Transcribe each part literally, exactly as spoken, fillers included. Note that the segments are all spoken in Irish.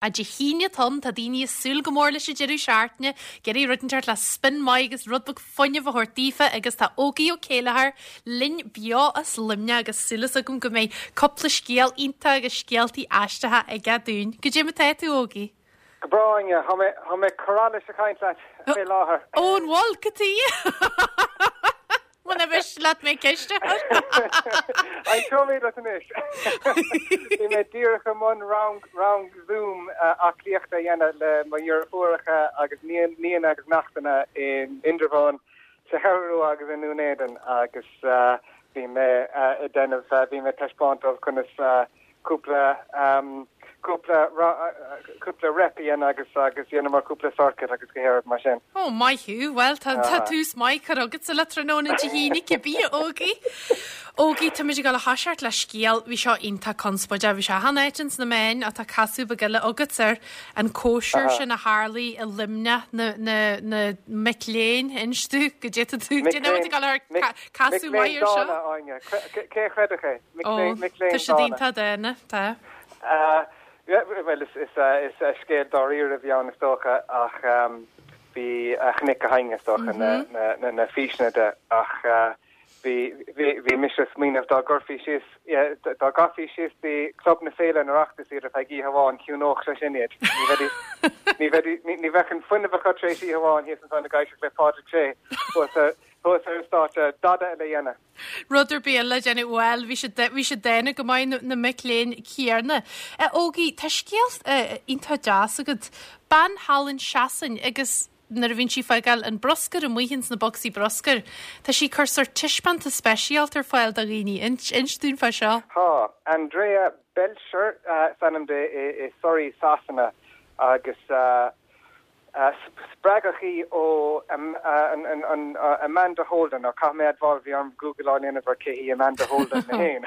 Dé hAoine atá ann, tá daoine ag súil go mór leis an deireadh seachtaine, ag iarraidh rud inteacht le spin maith agus rud beag fuinnimh a thabhairt daofa agus tá Ógie Ó Céilleachair linn beo as Luimneach agus súil agam go mbeidh cúpla scéal iontach agus scéaltaí aisteacha aige dúinn. Goidé mar atá tú Ógie? Go breá Tá mé choráile sa chaint leat fé láthair. Ó an bhfuil go tí? Muna bhis leat mé ceiste An mé leat anois. Bhí mé díreach i mbun rang rang Zoom aclaíochta a dhéanamh le mo dheirfiúracha agus nianna agus neachtanna in Indreabhán sa Cheathrú Rua agus i nDún Éideann agus bhí mé ag déanamh bhí mé taispeáint conas cúpla cúpla cúpla rep a dhéanamh agus agus dhéanamh mar cúpla circuit agus go héir mar sin. Ó maith thú, well tá tús maith curtha agat le tráthnóna Dé hAoine cibé Ógie. Ógie tá muid ag dul a thoiseacht le scéal bhí seo iontach conspóideach, bhí sé an-áit sna meáin atá casadh beag eile agat ar an cóisir sin a tharla i Luimneach na, na, na mic léinn inis tú go dté tú casadh maith ar seo. Cé chreidfeadh é? Tá sé iontach dána tá. Well is is is scéal dáiríre a bhí ann is dócha ach bhí chonaic gach éinne is dócha na na na físeanna de ach bhí bhí mise smaoineamh dá gcuirfí síos dá gcaithfí síos dtí Club na Féile an Oireachtas iad ar feadh oíche amháin chiúnódh sé sin iad. Ní ní bheadh an fuinneamh acu tar éis oíche amháin thíos ansan ag éisteacht le Pádraig Sé thuas ar an stáitse dada eile dhéanamh. Rud ar bith le déanamh well bhí sé bhí sé dána go maith na mic léinn céanna. Ógie tá scéal iontach deas agat bean thall in Sasain agus nuair a bhíonn sí fágáil an bruscar amuigh ins na bocsaí bruscair, Tá sí cur sórt taispeántas speisialta ar fáil do dhaoine inis dúinn fá seo. Tá Andrea Belcher is ainm di i Surrey Sasana agus uh, Uh, spreagadh í ó um, uh, an, an, an, uh, Amanda Holden ó caithfidh mé admháil bhí orm Google á dhéanamh ar cé hí Amanda Holden na héin.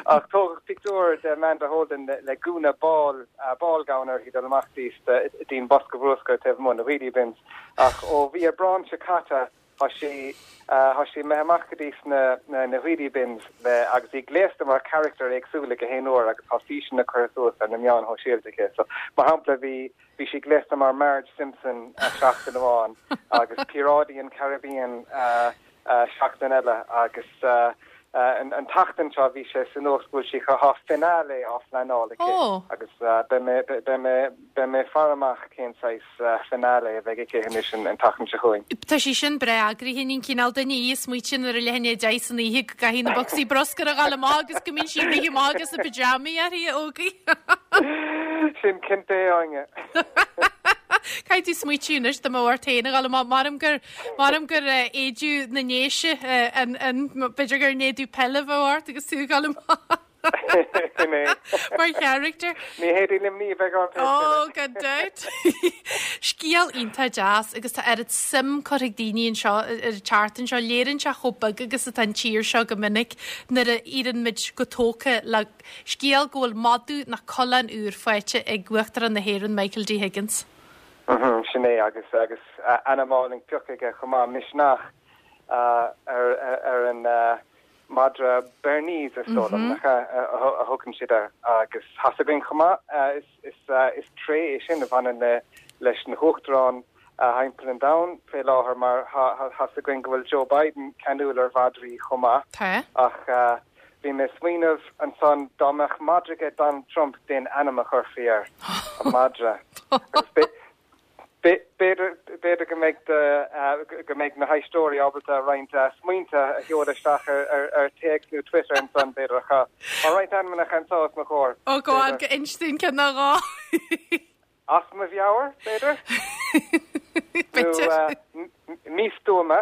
Ach tógadh pictiúr de Amanda Holden le, le gúna ball uh, ball gown uirthi dul amach dtí'n bosca bruscair taobh amuigh na wheelie bins ach ó bhí Aibreán seo caite tá sí uh, sí me amach go dtí na, na, na wheelie bins le agus í gléasta mar character éagsúla gach aon uair agus tá físeanna curtha suas ar na meáin shóisialta aici. So mar shampla bhí bhí sí gléasta mar Marge Simpson uh, seachtain amháin agus Píoráidí an Caribbean uh, uh, seachtain eile agus uh, uh, an, an tseachtain seo bhí sé san nuacht bhfuil sí tá finale á phleanáil Oh. agus uh, beidh mé faire amach cén saghas uh, finale a bheidh aici anois an tseachtain seo chugainn. Tá sí sin breá eagraithe an cineál duine í smaoitíonn ar a leithéid deich san oíche go gcaithfidh na bocsaí bruscair a ghabháil amach agus go mbíonn sí rith amach agus na pyjamaí uirthi Ógie. Sin cinnte Áine. Caithfidh tú smaoitiú anois do mar féin a ghabháil amach maram gur maram gur éide na nDéise an an b'fhéidir gur éide peile ort agus tú ghabháil amach. Mar character. Ní héadí lim ní bheith an Ó gan dabht. Scéal iontach deas agus tá oiread suim curtha ag daoine anseo ar an tseachtain seo léiríonn sé chomh beag agus atá an tír seo go minic nuair a éiríonn muid go tógtha le scéal go bhfuil madadh nó coileán úr faighte ag Uachtarán na hÉireann Michael D. Higgins. Sin é agus agus ainm álainn pioctha aige chomh maith Misneach ar ar an madra Bernese is dóigh liom a thugann siad agus tá a fhios againn chomh maith is is tréith é sin a bhaineann le leis na huachtaráin timpeall an domhain fé láthair mar tá a fhios againn go bhfuil Joe Biden ceanúil ar mhadraí chomh maith ach bhí mé smaoineamh ansan dá mbeadh madra ag Donald Trump cén ainm a chuirfí air an madra. B'fhéidir go mbeidh go mbeidh na héisteoirí ábalta roinnt smaointe a sheoladh isteach ar ar téacs nó Twitter ansan b'fhéidir cha Tá roinnt ainmneacha anseo os mo chomhair. Ó go go inis dúinn ceann nó dhó. As mo mheabhair b'fhéidir? Místuama.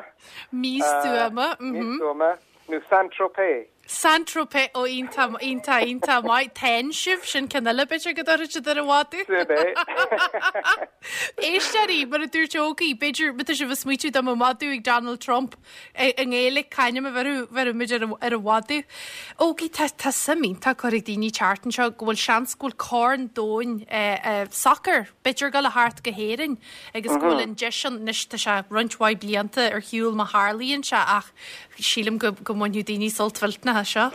Místuama. Místuama nó Saint-Tropez. Saint-Tropez ó iontach iontach iontach maith ten sibh sin ceann eile b'fhéidir go dtabharfaidh siad ar an mhadadh. Éisteoirí mar a dúirt Ógie, b'fhéidir má tá sibh ag smaoitiú dá mbeadh madadh ag Donald Trump i nGaeilge cén ainm a bhéarfadh muid ar an mhadadh. Ógie tá tá suim iontach curtha ag daoine an tseachtain seo go bhfuil seans go bhfuil Corn Domhain sacair b'fhéidir ag dul a theacht go hÉirinn agus go bhfuil an deis anois tá sé roinnt mhaith blianta ar shiúl má tharlaíonn sé ach sílim go go mbainfidh daoine sult mhillteanach as seo.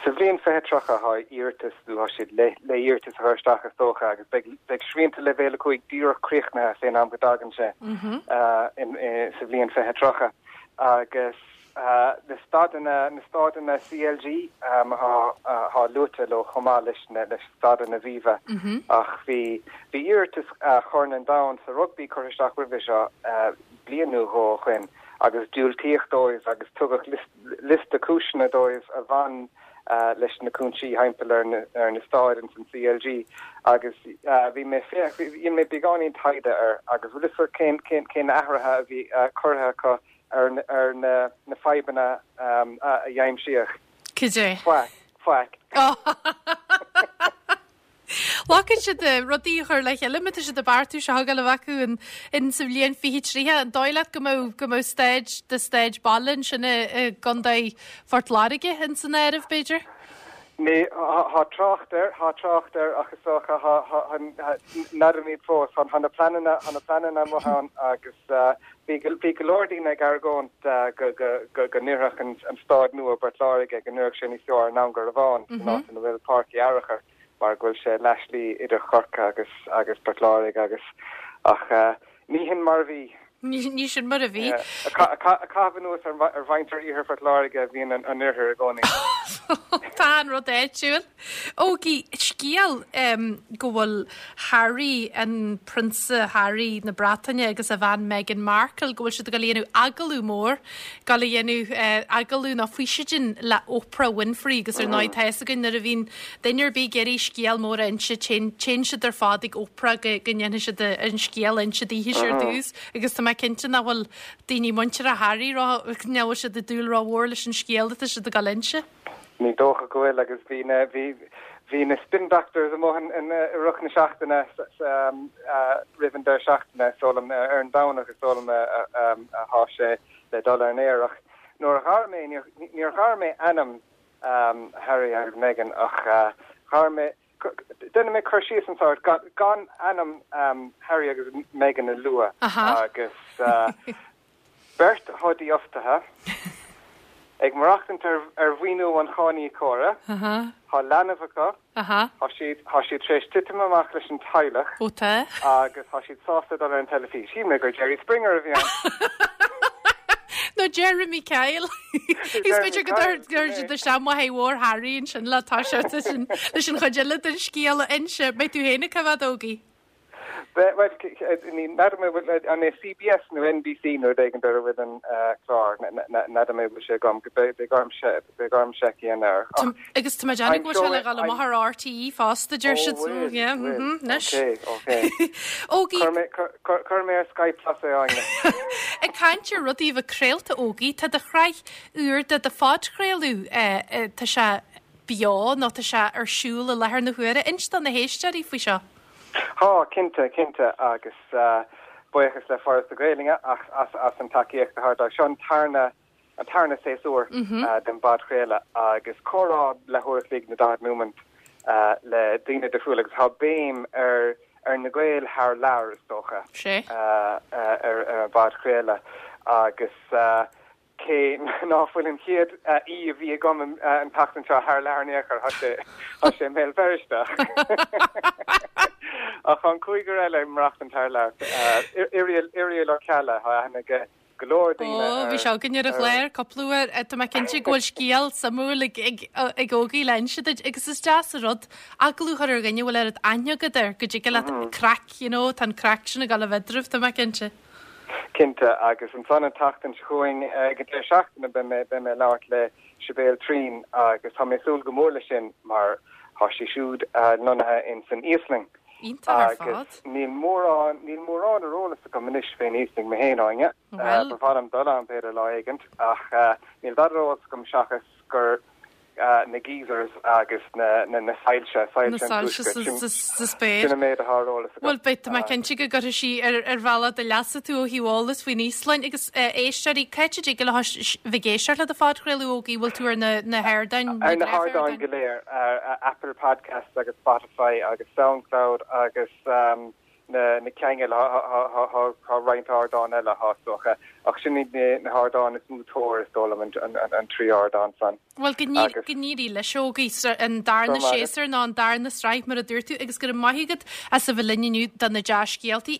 Sa bhliain fiche tríocha tá iarratas nó tá siad le le iarratas a chur isteach is dócha agus beidh beidh srianta leibhéal a cúig díreach críochnaithe fén am go dtagann sé sa bhliain fiche tríocha agus na staideanna na staideanna C L G atá luaite leo chomh maith leis na leis staideanna Aviva ach bhí bhí iarratas Chorn an Domhain sa rugbaí curtha isteach roimhe seo bliain nó dhó ó shin agus diúltaíodh dóibh agus tugadh liosta cúiseanna dóibh a bhain leis na cúinsí thimpeall ar na ar na staideanna san C L G agus bhí mé bhí mé beagáinín taighde ar agus bhfuil fhios cén cén cén athruithe a bhí curtha acu ar ar na na fadhbanna a aimsíodh. Cad é? Faic, faic. Glacann siad rudaí a chur le chéile tá siad ag beartú seo a bheith acu in in sa bhliain fiche tríocha an dóigh leat go mbeadh go mbeadh staid de staid baile sin i gContae Phort Láirge in san áireamh b'fhéidir? Ní tá trácht air tá trácht air ach is dócha n'fheadar fós tá na pleananna tá na pleananna amuigh ann agus bhí bhí go leor daoine ag argóint go go go n-oirfeadh an staid nua Port Láirge go n-oirfeadh sé níos fearr ná an Garbhán ná ina bhfuil Páirc Uí Fhearchair mar go bhfuil sé leathshlí idir Chorcaigh agus agus Port Láirge agus ach ní hin mar bhí. Ní sin mar a bhí. Caitheamh anuas ar mhuintir iarthar Phort Láirge a bhíonn an oirthear i gcónaí. Tá an rud áitiúil. Ógie scéal go bhfuil Harry an prionsa Harry na Breataine agus a bhean Meghan Markle go bhfuil siad ag dhéanamh agallamh mór ag déanamh agallamh nó físeán le Oprah Winfrey agus ar ndóigh tá a fhios againn nuair a bhíonn duine ar bith ag iarraidh scéal mór a inse téann siad ar fad ag Oprah go go ndéanfaidh siad an scéal inse daoithe ar dtús agus tá mé cinnte nach bhfuil daoine muinteartha Harry nach bhfuil siad ag dúil rómhór leis an scéal atá siad ag inse. Ní dócha go bhfuil agus bhí na bhí bhí na spin doctors amuigh in i rith na seachtaine roimh an deireadh seachtaine sólam ar an Domhnach is dóigh liom atá sé le dul ar an aer ach nuair a ghair mé níor ghair mé ainm Harry agus Meghan ach ghair mé Déanfaidh mé cur síos an sort gan ainm um, Harry agus Meghan a lua agus uh, beirt atá dífhostaithe ag maireachtaint ar ar mhaoiniú an cháiníocóra Tá leanbh acu Tá siad tá siad tar éis titim amach leis an teaghlach Ó agus tá siad sásta dul ar an teilifís. Shíl mé gur Jerry Springer a bhí ann. No Jeremy Kyle. Is féidir go gur de se mhór Harry ansin le tá leis an chuid eile den scéal a inse, Beidh tú féin cá bhfad Ógie. An é C B S nó N B C nó ag an deireadh bhfuil an clár n'fheadar mé sé gom go beidh sé an air. Agus tá déanamh go le le maith R T E fosta deir siad leis. Ógie Chuir mé ar Sky Plus é Áine. Ag caint ar rudaí bheith craolta Ógie, tá do shraith úr de do phodchraoladh tá sé beo nó tá sé ar siúl i láthair na huaire inis do na héisteoirí faoi seo. Tá cinnte cinnte agus uh, buíochas le Foras na Gaeilge ach as as an tacaíocht a thabhairt seo an tarna an tarna séasúr mm -hmm. uh, den bpodchraoladh agus comhrá leathuair an chloig nó daichead nóiméad uh, le daoine difriúla agus tá béim ar ar na Gaeil thar lear is dócha sé uh, uh, ar ar an bpodchraoladh agus uh, cé ná fuil an chéad í a bhí agam an tseachtain seo thar lear néchar sé sé mé Feirste. Ach an cúigear eile maireachtaint thar lear Irial Ó Ceallaigh tha go leor daoine. Bhí sé againn ar an chlár cúpla uair tá mé cinnte go bhfuil scéal suimiúil ag Ógie le hinse agus is deas an rud agallamh a chur ar dhuine bhfuil ar aithne agat air go dtig leat craic you know, tá an craic sin ag gabháil a bheith eadraibh tá mé cinnte. Cinnte agus ansan an tseachtain seo chugainn go deireadh seachtaine beidh mé beidh mé ag labhairt le Sibéal Trín agus tá mé ag súil go mór leis sin mar tá sí siúd lonnaithe in san Íoslainn. Agus níl mórán níl mórán ar eolas agam anois fén Íoslainn mé féin Áine ba mhaith liom dul ann b'fhéidir lá éigin ach níl dada ar eolas agam seachas gur na geysers agus na na na soilse soilse spéir mé hárólas. Well beidh mé cinnte go gcuirfidh sí ar ar bhealach do leasa tú ó thaobh eolas faoin Íoslainn agus éisteoirí cá háit a dtig le bheith ag éisteacht le do phodchraoladh Ógie bhfuil tú ar na na hardáin ar na hardáin go léir Apple Podcast agus Spotify agus SoundCloud agus um, na na ceangail tá roinnt ardán eile háach ach sin na hardáin is mó tóir is dóigh liom an trí ardán san. Well go n-éirí leis Ógie an darna séasúr ná an darna sraith mar a dúirt tú agus go raibh maith agat as a bheith linn inniu do na dea-scéaltaí.